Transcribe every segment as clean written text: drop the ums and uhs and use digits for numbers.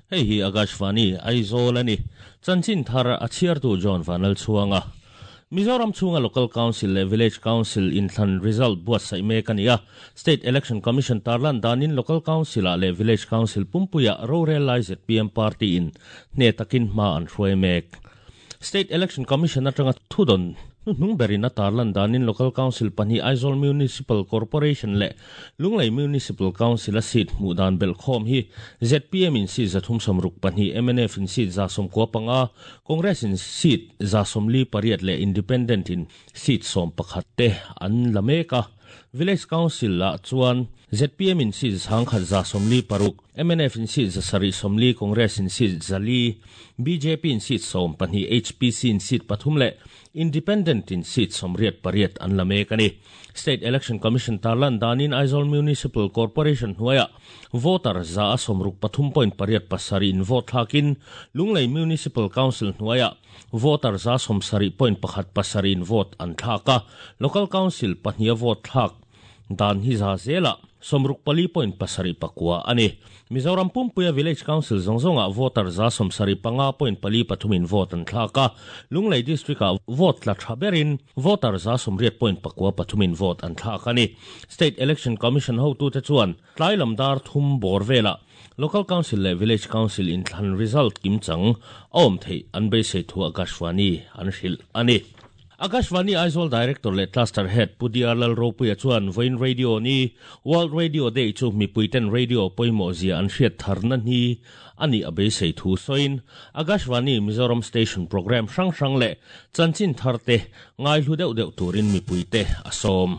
Hei hi Akashvani, Aizawl a ni. Chanchin thar a chhiartu John Vanlalchhuanga. Mizoram chhunga Local Council leh Village Council inthlan result buatsaih mek a ni a. State Election Commission tarlan danin Local Council-ah leh Village Council pumpuiah rorel lai zpm party-in hne takin hma an hruai mek. State Election Commission atanga thudawn hnuhnung berin a tarlan danin Local Council pahnih Aizawl Municipal Corporation leh Lunglei Municipal Council-a seat hmuh dan belhkhawm hi zpm in seat 362, mnf in seat 95, Congress in seat 48 leh Independent in seat 11 te an la mek a. Village Council ah chuan zpm in seat 146, mnf in seat 740, Congress in seat 400, bjp in seat 12, HPC in seat 3 leh Independent in seat 88 an la mek a ni. State Election Commission tarlan danin Aizawl Municipal Corporation hnuaiah voter 63.87 in vote thlakin Lunglei Municipal Council hnuaiah voter 70.17 in vote an thlak a, Local Council pahniha vote thlak dan hi za zelah 64.79 a ni. Mizoram pumpuia Village Council zawng zawngah voter 75.43 in vote an thlak a, Lunglei District-ah vote tla tha berin voter 80.93 in vote an thlak a ni. State Election Commission hotute chuan tlai lam dar thum bawr velah Local Council leh Village Council inthlan result kimchang a awm theih an beisei thu Akashvani an hrilh a ni. Akashvani Aizawl Director leh Cluster Head Pu DR Lalropuia chuan vawiin Radio ni World Radio Day chu mipuiten radio pawimawh zia an hriat tharna ni a nih a beisei thu sawiin Akashvani Mizoram Station programme hrang hrang leh chanchin tharte ngaihlu deuh deuh turin mipuite a sawm.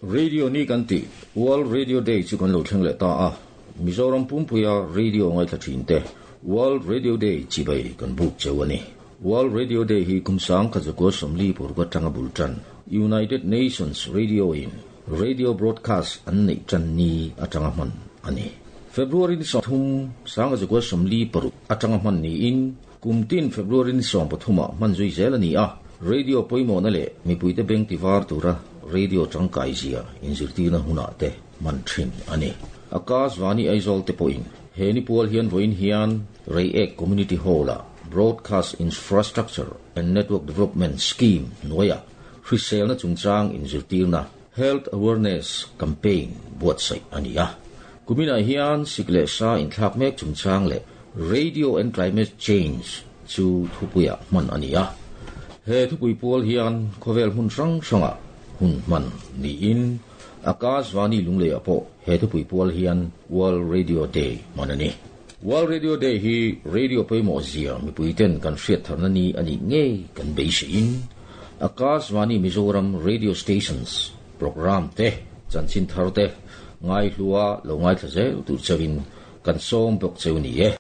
Radio ni kan tih World Radio Day chu kan lo thleng leh ta a, Mizoram pumpuia radio ngaithla thin te World Radio Day chibai kan buk cheu a ni. World Radio Day hi kum 1946 atanga bul tan United Nations Radio in radio broadcast an neih tan ni atanga hman a ni. February ni 30, 1946 atanga hman niin kum tin February ni 13 ah hman zui zel a ni a, radio pawimawhna leh mipuite beng tivar tura radio tangkai zia inzirtirna hunah te hman thin a ni. Akashvani Aizawl te pawhin he ni pual hian vawiin hian Reiek Community Hall-ah Broadcast Infrastructure and Network Development Scheme hnuaiah hriselna chungchang inzirtirna Health Awareness Campaign buatsaih a ni a. Kuminah hian sik leh sa inthlak mek chungchang leh Radio and Climate Change chu thupuiah hman a ni a. He thupui pual hian khawvel hmun hrang hrangah hun hman niin Akashvani Lungleiah pawh he thupui pual hian World Radio Day hman a ni. World Radio Day hi radio pawimawh zia mipuiten kan hriat tharna ni a nih ngei kan beiseiin Akashvani Mizoram Radio Stations programme te chanchin thar te ngaihlua lo ngaithla zel tur chauhin kan sawm bawk cheu ni e.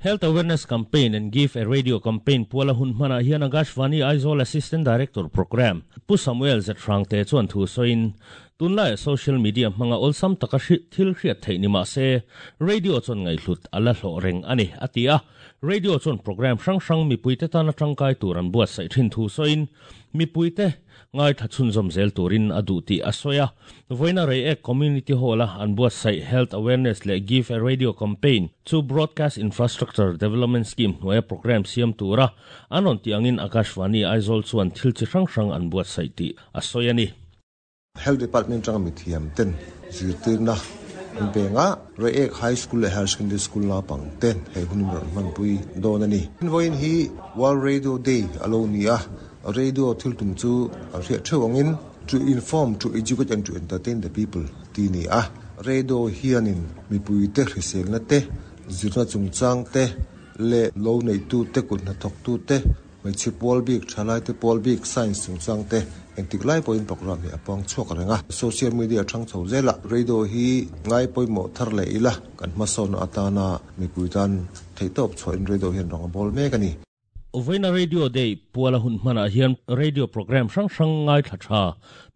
Health Awareness Campaign and Give a Radio Campaign puala hun hmanah hian Akashvani Aizawl Assistant Director Programme Pu Samuel Zethrangte chuan thu sawiin tunlaiah social media hmanga awlsam taka thil hriat theih ni mah se radio chuan ngaihhlut a la hlawh reng a ni, a ti a. Radio chuan programme hrang hrang mipuite tana tangkai tur an buatsaih thin thu sawiin mipuite Ngaithla chhunzawm zel turin a duh tih a sawi a. Vawiina Reiek Community Hall-a an buatsaih Health Awareness leh Give a Radio Campaign chu Broadcast Infrastructure Development Scheme hnuaia programme siam tura an rawn tih angin Akashvani Aizawl chuan thil chi hrang hrang an buatsaih tih a sawi a ni. Health Department atanga mithiam ten zirtirna an peng a, Reiek High School leh Higher Secondary School naupang ten he hun in rawn hmanpui dawn a ni. Vawiin hi World Radio Day a lo ni a, Radio thil tum chu an hriat theuh angin to inform, to educate and to entertain the people tih a ni a. Radio hianin mipuite hriselna te, zirna chungchang te leh lo neihtute, kut hnathawktute, hmeichhe pawl bik, thalaite pawl bik, science chungchang te engtik lai pawhin programme hi a puang chhuak reng a. Social media thang chho zelah radio hi ngai pawimawh thar leh ila kan hmasawnna atana mipui tan theihtawp chhuahin radio hian rang a bawl mek a ni. Vawiina Radio Day puala hun hmanah hian radio programme hrang hrang ngaithla tha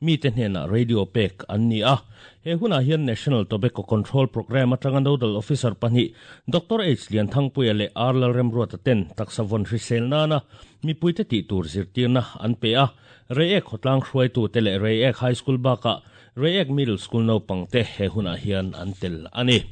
mite hnenah radio pek an ni a. He hunah hian National Tobacco Control Programme atanga Nodal Officer pahnih Doctor H Lianthangpuia leh R Lalremruata ten taksa vawn hrisel nana mipuite tih tur zirtirna an pe a. Reiek khawtlang hruaitute leh Reiek High School bakah Reiek Middle School naupangte he hunah hian an tel a ni.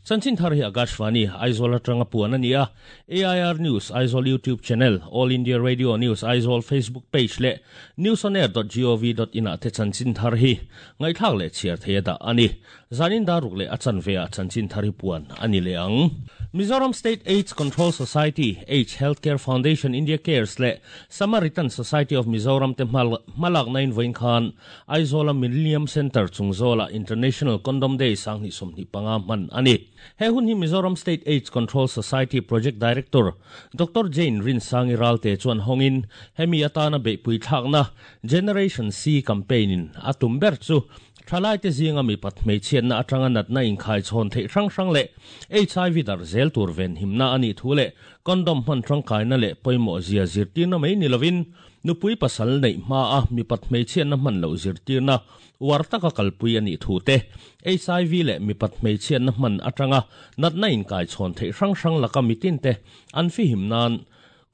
Chanchin thar hi Akashvani, Aizawl atanga puan a ni a, AIR News Aizawl YouTube Channel, All India Radio News Aizawl Facebook Page leh newsonair.gov.in ah te chanchin thar hi ngaihthlak leh chhiar thei a dah a ni. Zanin daruk leh a chanve ah chanchin thar hi puan a ni leh ang. Mizoram State AIDS Control Society, AIDS Healthcare Foundation India Cares leh Samaritan Society of Mizoram te hmalakna in vawiin khan Aizawla Millennium Centre chung zawlah International Condom Day 2025 hman a ni. He hun hi Mizoram State AIDS Control Society Project Director Doctor Jane Rinsangi Ralte chuan hawngin hemi atana beihpui thlakna Generation C campaign in a tum ber chu Thalaite zinga mipat hmeichhiatna atanga natna inkhai chhawn theih hrang hrang leh HIV darh zel tur venhimna a nih thu leh condom hman tangkaina leh pawimawh zia zirtirna mai ni lovin nupui pasal neih hmaa mipat hmeichhiatna hman loh zirtirna uar taka kalpui a nih thu te, HIV leh mipat hmeichhiatna hman atanga natna inkai chhawn theih hrang hrang laka mitinte an fihim nan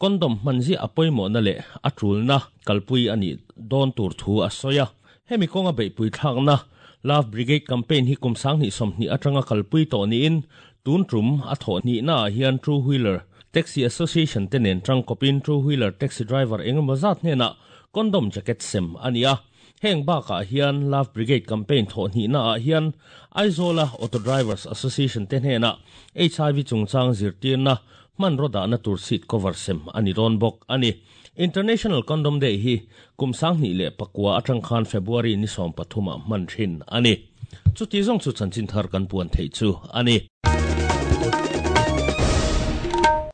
condom hman ziah a pawimawhna leh a tulna kalpui a nih dawn tur thu a sawi a. Hemi kawnga beihpui thlakna Love Brigade campaign hi kum 2020 atanga kalpui tawh niin tun tum a thawh hnihnaah hian Two Wheeler Taxi Association te nen tangkawpin Two Wheeler Taxi driver engemaw zat hnenah condom jacket sem a ni a. Heng bakah hian Love Brigade campaign thawh hnihnaah hian Aizawla Auto Drivers Association te hnenah HIV chungchang zirtirna hmanraw dahna tur seat cover sem a ni dawn bawk a ni. International Condom Day hi kum 2009 atang khan February ni 13 ah hman thin a ni. Chuti zawng chu chanchin thar kan puan theih chu a ni.